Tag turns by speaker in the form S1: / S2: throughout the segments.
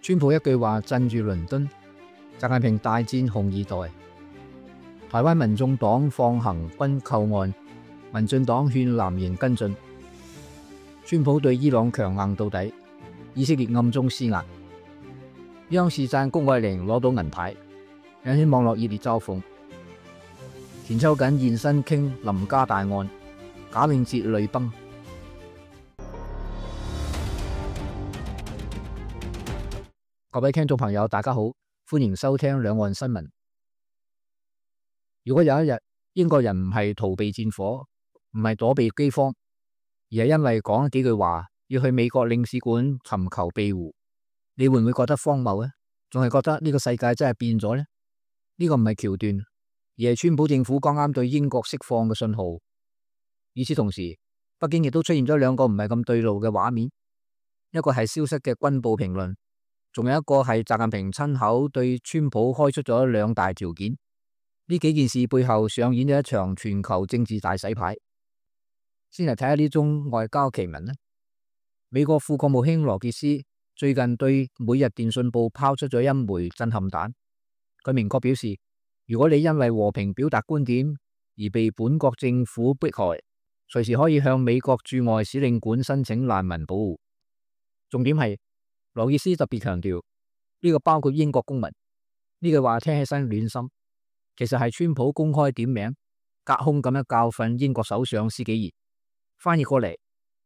S1: 川普一句話鎮住倫敦，習近平大戰紅二代。台灣民眾黨放行軍購案，民進黨勸藍營跟進。川普對伊朗強硬到底，以色列暗中施壓。央視讚谷愛凌攞到銀牌，引起網絡熱烈嘲諷。田秋瑾現身傾林家大案，賈永婕淚崩。各位聽眾朋友，大家好，歡迎收聽兩岸新聞。如果有一日英國人唔係逃避戰火，唔係躲避饑荒，而係因為講幾句話要去美國領事館尋求庇護，你會唔會覺得荒謬呢？仲係覺得呢個世界真係變咗呢？呢個唔係橋段，而係川普政府剛啱對英國釋放嘅信號。與此同時，北京亦都出現咗兩個唔係咁對路嘅畫面，一個係消息嘅軍報評論，仲有一個係習近平親口對川普開出咗兩大條件。呢幾件事背後上演咗一場全球政治大洗牌。先嚟睇下呢宗外交奇聞啦。美國副國務卿羅傑斯最近對每日電訊報拋出咗一枚震撼彈。佢明確表示，如果你因為和平表達觀點而被本國政府迫害，隨時可以向美國駐外使領館申請難民保護。重點係羅傑斯特別強調，呢個包括英國公民。呢句話聽起身暖心，其實係川普公開點名，隔空咁樣教訓英國首相施紀賢。翻譯過嚟，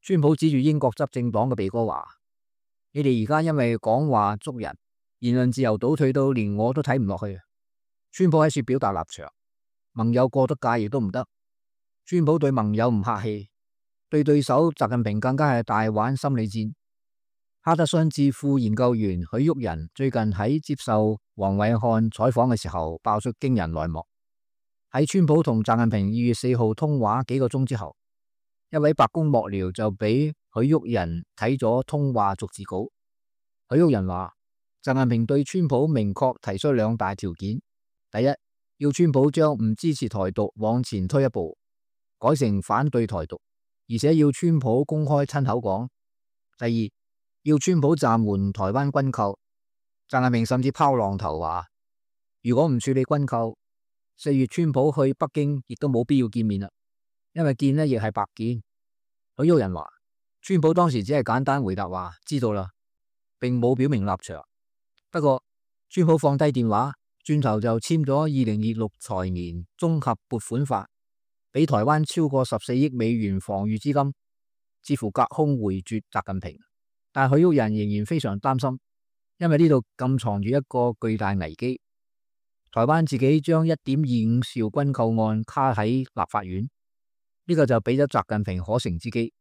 S1: 川普指住英國執政黨嘅鼻哥話：你哋而家因為講話捉人，言論自由倒退到連我都睇唔落去。川普喺處表達立場，盟友過得界亦都唔得。川普對盟友唔客氣，對對手習近平更加係大玩心理戰。哈德遜智庫研究員許旭仁最近喺接受黃偉漢採訪嘅時候，爆出驚人內幕。喺川普同習近平2月4號通話幾個鐘之後，一位白宮幕僚就俾許旭仁睇咗通話逐字稿。許旭仁話，習近平對川普明確提出兩大條件：第一，要川普將唔支持台獨往前推一步，改成反對台獨，而且要川普公開親口講；第二，要川普暫緩台灣軍購。習近平甚至拋浪頭話，如果唔處理軍購，4月川普去北京亦都冇必要見面啦，因為見呢亦係白見。許旭仁話，川普當時只係簡單回答話知道啦，並冇表明立場。不過川普放低電話，轉頭就簽咗2026財年綜合撥款法，俾台灣超過14億美元防禦資金，似乎隔空回絕習近平。但許旭仁仍然非常擔心，因為呢度暗藏住一個巨大危機。台灣自己將1.25兆軍購案卡喺立法院，呢個就俾咗習近平可乘之機，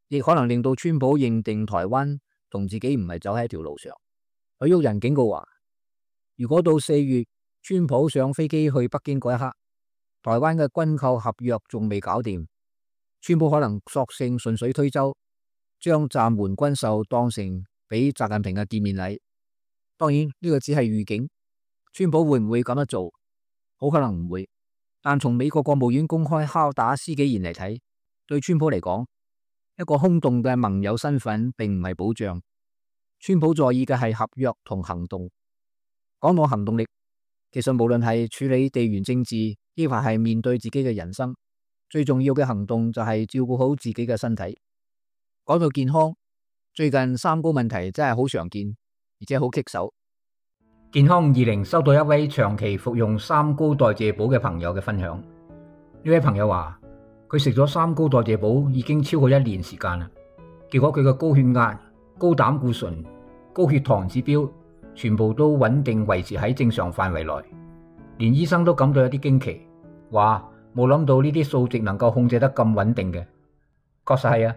S1: 亦可能令到川普認定台灣同自己唔係走喺一條路上。許旭仁警告話，如果到4月川普上飛機去北京嗰一刻，台灣嘅軍購合約仲未搞掂，川普可能索性順水推舟，將暫緩軍售當成俾習近平嘅見面禮。當然呢個只係預警，川普會唔會咁樣做？好可能唔會。但從美國國務院公開敲打施紀賢嚟睇，對川普嚟講，一個空洞嘅盟友身份並唔係保障。川普在意嘅係合約同行動。講到行動力，其實無論係處理地緣政治，抑或係面對自己嘅人生，最重要嘅行動就係照顧好自己嘅身體。講到健康，最近三高問題真係好常見，而且好棘手。健康20收到一位長期服用三高代謝寶嘅朋友嘅分享。呢位朋友話，佢食咗三高代謝寶已經超過1年時間啦，結果佢嘅高血壓、高膽固醇、高血糖指標全部都穩定維持喺正常範圍內，連醫生都感到有啲驚奇，話冇諗到呢啲數值能夠控制得咁穩定嘅。確實係啊。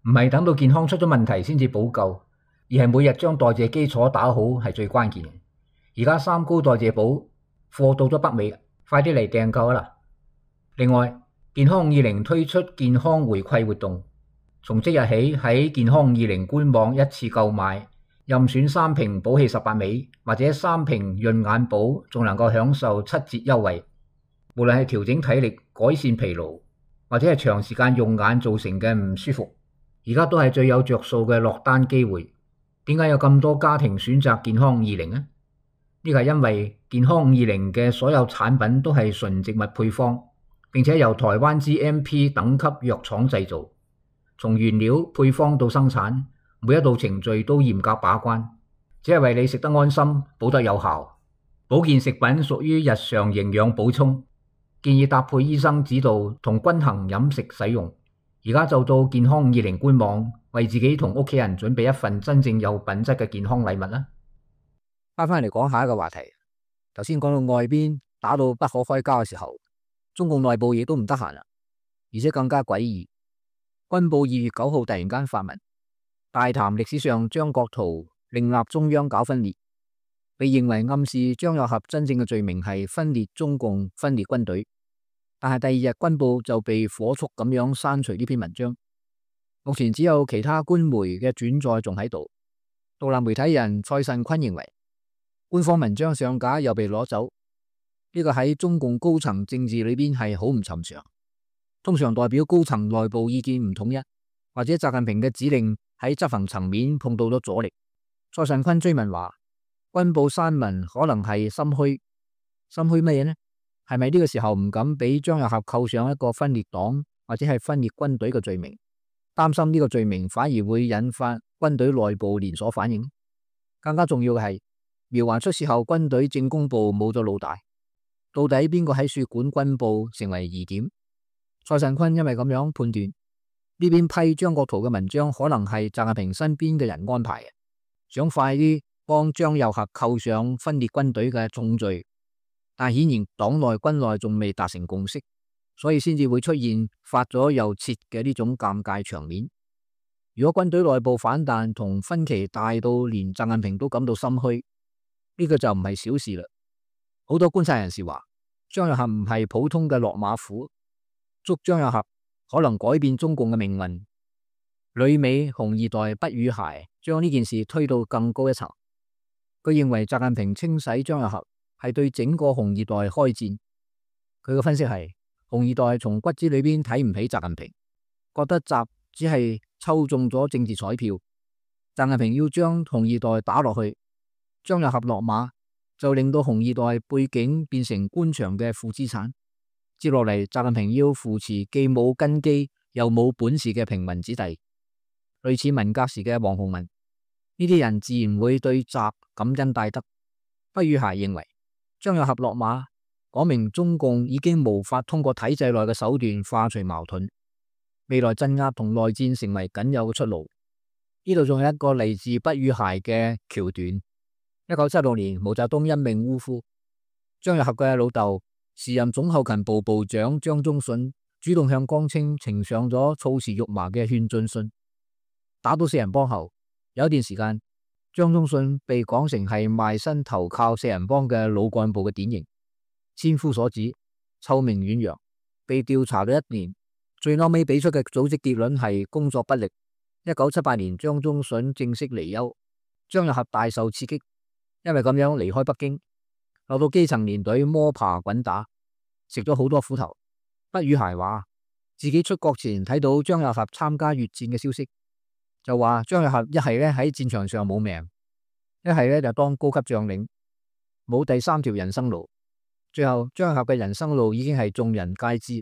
S1: 唔係等到健康出咗問題先至補救，而係每日將代謝基礎打好係最關鍵。而家三高代謝寶貨到咗北美，快啲嚟訂購啦！另外，健康20推出健康回饋活動，從即日起喺健康20官網一次購買，任選3瓶寶氣18味或者3瓶潤眼寶，仲能夠享受7折優惠。無論係調整體力、改善疲勞，或者係長時間用眼造成嘅唔舒服，而家都係最有着數嘅落單機會。點解有咁多家庭選擇健康520呢？呢個係因為健康520嘅所有產品都係純植物配方，並且由台灣 GMP 等級藥廠製造，從原料配方到生產，每一道程序都嚴格把關，只係為你食得安心，補得有效。保健食品屬於日常營養補充，建議搭配醫生指導同均衡飲食使用。而家就到健康520官網，為自己同屋企人準備一份真正有品質嘅健康禮物啦。翻嚟講下一個話題，頭先講到外邊打到不可開交嘅時候，中共內部亦都唔得閒啦，而且更加詭異。軍報2月9號突然間發文，大談歷史上張國燾另立中央搞分裂，被認為暗示張又俠真正嘅罪名係分裂中共、分裂軍隊。但係第二日軍報就被火速咁樣刪除呢篇文章，目前只有其他官媒嘅轉載仲喺度。獨立媒體人蔡慎坤認為，官方文章上架又被攞走，呢個喺中共高層政治裏邊係好唔尋常，通常代表高層內部意見唔統一，或者習近平嘅指令喺執行層面碰到咗阻力。蔡慎坤追問話，軍報刪文可能係心虛，心虛乜嘢呢？係咪呢個時候唔敢俾張又俠扣上一個分裂黨或者係分裂軍隊嘅罪名，擔心呢個罪名反而會引發軍隊內部連鎖反應？更加重要嘅係，苗環出事後軍隊政工部冇咗老大，到底邊個喺說管軍報成為疑點？蔡慎坤因為咁樣判斷，呢邊批張國燾嘅文章可能係習近平身邊嘅人安排嘅，想快啲幫張又俠扣上分裂軍隊嘅重罪。但顯然黨內軍內仲未達成共識，所以先至會出現發咗又撤嘅呢種尷尬場面。如果軍隊內部反彈同分歧大到連習近平都感到心虛，呢個就唔係小事啦。好多觀察人士話，張又俠唔係普通嘅落馬虎，捉張又俠可能改變中共嘅命運。旅美紅二代畢宇諧將呢件事推到更高一層，佢認為習近平清洗張又俠係對整個紅二代開戰。佢嘅分析係，紅二代從骨子裏邊睇唔起習近平，覺得習只係抽中咗政治彩票，習近平要將紅二代打落去，張又俠落馬就令到紅二代背景變成官場嘅負資產。接落嚟，習近平要扶持既冇根基又冇本事嘅平民子弟，類似文革時嘅王洪文，呢啲人自然會對習感恩戴德。畢宇諧認為，張又俠落馬，講明中共已經無法通過體制內嘅手段化除矛盾，未來鎮壓同內戰成為僅有嘅出路。呢度仲有一個嚟自畢宇諧嘅橋段。1976年，毛澤東因命嗚呼，張又俠嘅老豆時任總後勤部部長張宗遜主動向江青呈上咗措辭肉麻嘅勸進信。打倒四人幫後，有一段時間，張宗遜被講成係賣身投靠四人幫嘅老幹部嘅典型，千夫所指，臭名遠揚，被調查咗1年，最後尾俾出嘅組織結論係工作不力。1978年，張宗遜正式離休，張又俠大受刺激，因為咁樣離開北京，落到基層連隊摸爬滾打，食咗好多苦頭。畢宇諧話自己出國前睇到張又俠參加越戰嘅消息，就話張又俠一係咧喺戰場上冇命，一係咧就當高級將領，冇第三條人生路。最後張又俠嘅人生路已經係眾人皆知。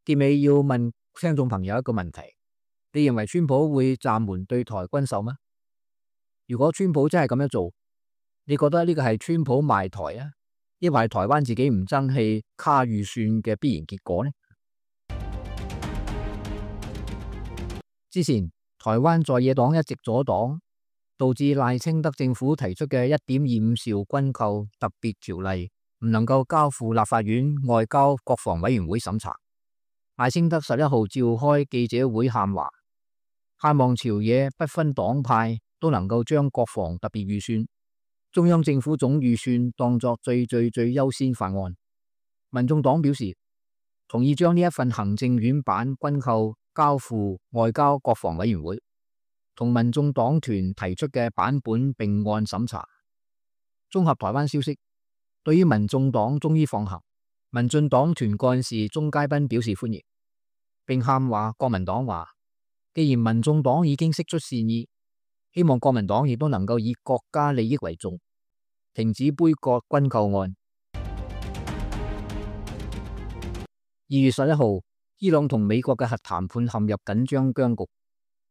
S1: 結尾要問聽眾朋友一個問題，你認為川普會暫緩對台軍售嗎？如果川普真係咁樣做，你覺得呢個係川普賣台啊，抑或係台灣自己唔爭氣卡預算嘅必然結果呢？之前台灣在野黨一直阻擋，導致賴清德政府提出嘅1.25兆軍購特別條例唔能夠交付立法院外交國防委員會審查。賴清德11號召開記者會喊話，盼望朝野不分黨派都能夠將國防特別預算、中央政府總預算當作最優先法案。民眾黨表示同意將呢一份行政院版軍購交付外交國防委員會，同民眾黨團提出嘅版本並案審查。綜合台灣消息，對於民眾黨終於放行，民進黨團幹事鍾佳濱表示歡迎，並喊話國民黨話，既然民眾黨已經釋出善意，希望國民黨亦都能夠以國家利益為重，停止杯葛軍購案。2月11號，伊朗同美國嘅核談判陷入緊張僵局。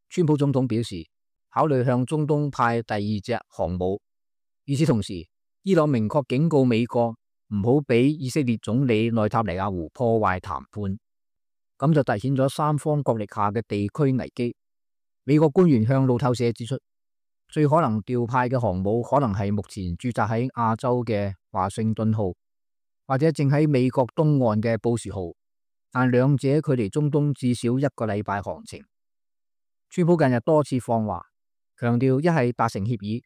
S1: 川普總統表示，考慮向中東派第2隻航母。與此同時，伊朗明確警告美國唔好俾以色列總理內塔尼亞胡破壞談判，咁就凸顯咗三方角力下嘅地區危機。美國官員向路透社指出，最可能調派嘅航母可能係目前駐紮喺亞洲嘅華盛頓號，或者正喺美國東岸嘅布殊號，但兩者距離中東至少1個禮拜航程。川普近日多次放話，強調一係達成協議，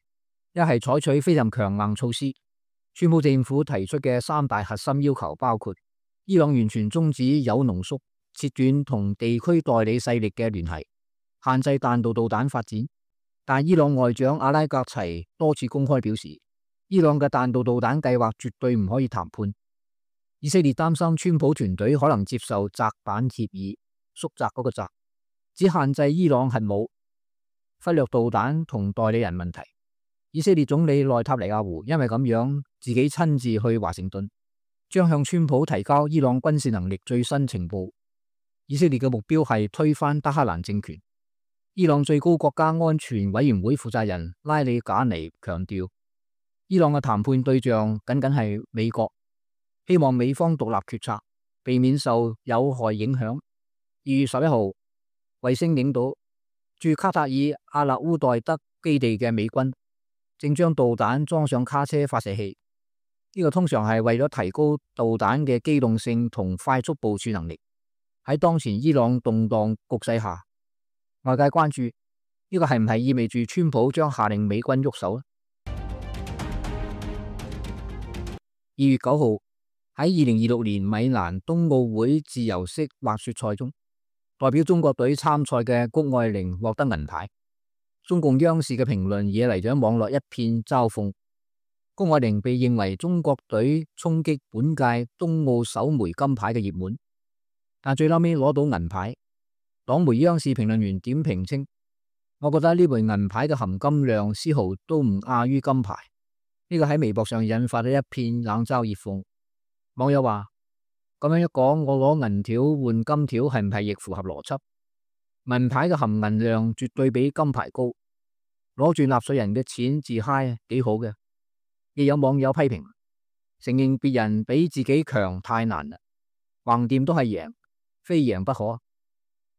S1: 一係採取非常強硬措施。川普政府提出嘅3大核心要求包括：伊朗完全終止鈾濃縮，切斷同地區代理勢力嘅聯繫，限制彈道導彈發展。但伊朗外長阿拉格齊多次公開表示，伊朗嘅彈道導彈計劃絕對唔可以談判。以色列擔心川普團隊可能接受窄板協議，縮窄嗰個窄，只限制伊朗核武，忽略導彈同代理人問題。以色列總理內塔尼亞胡因為咁樣自己親自去華盛頓，將向川普提交伊朗軍事能力最新情報。以色列嘅目標係推翻德黑蘭政權。伊朗最高國家安全委員會負責人拉里賈尼強調，伊朗嘅談判對象僅僅係美國，希望美方獨立決策，避免受有害影響。2月11號，衛星影到駐卡塔爾阿勒烏代德基地嘅美軍正將導彈裝上卡車發射器，呢個通常係為咗提高導彈嘅機動性同快速部署能力。喺當前伊朗動盪局勢下，外界關注呢個係唔係意味住川普將下令美軍喐手呢？2月9號，喺2026年米蘭冬奧會自由式滑雪賽中，代表中國隊參賽嘅谷愛凌獲得銀牌。中共央視嘅評論惹嚟咗網絡一片嘲諷。谷愛凌被認為中國隊衝擊本屆冬奧首枚金牌嘅熱門，但最後尾攞到銀牌。黨媒央視評論員點評稱，我覺得呢枚銀牌嘅含金量絲毫都唔亞於金牌。呢個喺微博上引發咗一片冷嘲熱諷。網友話，咁樣一講，我攞銀條換金條係唔係亦符合邏輯？銀牌嘅含銀量絕對比金牌高，攞住納稅人嘅錢自嗨幾好嘅。亦有網友批評，承認別人比自己強太難啦，橫掂都係贏，非贏不可。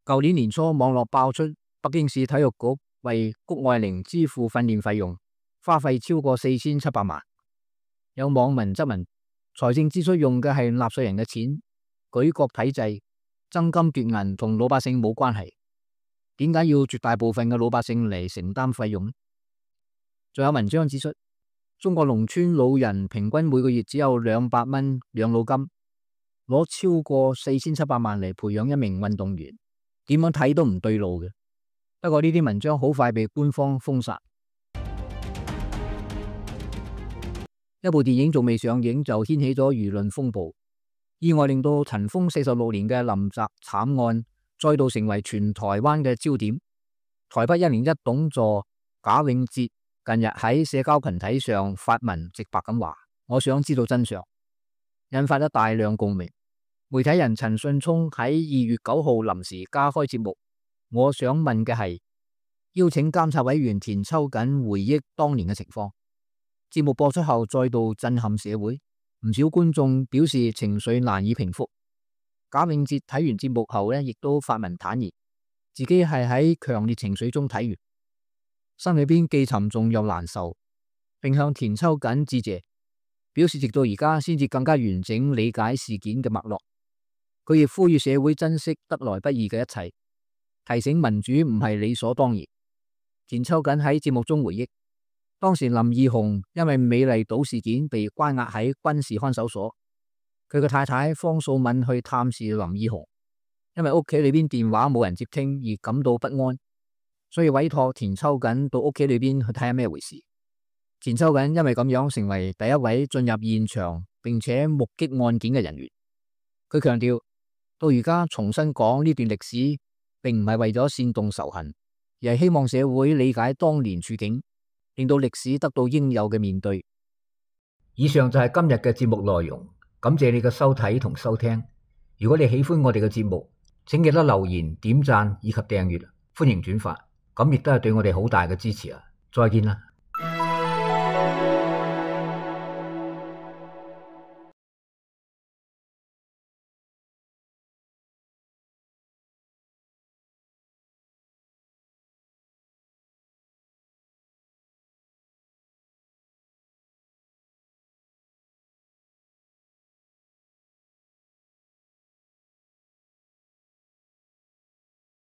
S1: 舊年年初，網絡爆出北京市體育局為谷愛凌支付訓練費用，花費超過4700萬。有網民質問，財政支出用嘅係納稅人嘅錢，舉國體制，爭金奪銀同老百姓冇關係，點解要絕大部分嘅老百姓嚟承擔費用呢？仲有文章指出，中國農村老人平均每個月只有200蚊養老金，攞超過4700萬嚟培養一名運動員，點樣睇都唔對路嘅。不過呢啲文章好快被官方封殺。一部電影仲未上映就掀起咗輿論風暴，意外令到塵封46年嘅林宅慘案再度成為全台灣嘅焦點。台北101董座賈永婕近日喺社交群體上發文直白咁話，我想知道真相，引發咗大量共鳴。媒體人陳信聰喺2月9號臨時加開節目，我想問嘅係，邀請監察委員田秋瑾回憶當年嘅情況。節目播出後再度震撼社會，唔少觀眾表示情緒難以平復。賈永婕睇完節目後呢，亦都發文坦言，自己係喺強烈情緒中睇完，心裏邊既沉重又難受，並向田秋瑾致謝，表示直到而家先至更加完整理解事件嘅脈絡。佢亦呼籲社會珍惜得來不易嘅一切，提醒民主唔係理所當然。田秋瑾喺節目中回憶，當時林義雄因為美麗島事件被關押喺軍事看守所，佢嘅太太方素敏去探視林義雄，因為屋企裏邊電話冇人接聽而感到不安，所以委託田秋瑾到屋企裏邊去睇下咩回事。田秋瑾因為咁樣成為第一位進入現場並且目擊案件嘅人員。佢強調，到而家重新講呢段歷史，並唔係為咗煽動仇恨，而係希望社會理解當年處境，令到歷史得到應有嘅面對。以上就係今日嘅節目內容，感謝你嘅收睇同收聽。如果你喜歡我哋嘅節目，請記得留言、點讚以及訂閱，歡迎轉發，咁亦都係對我哋好大嘅支持啊！再見啦。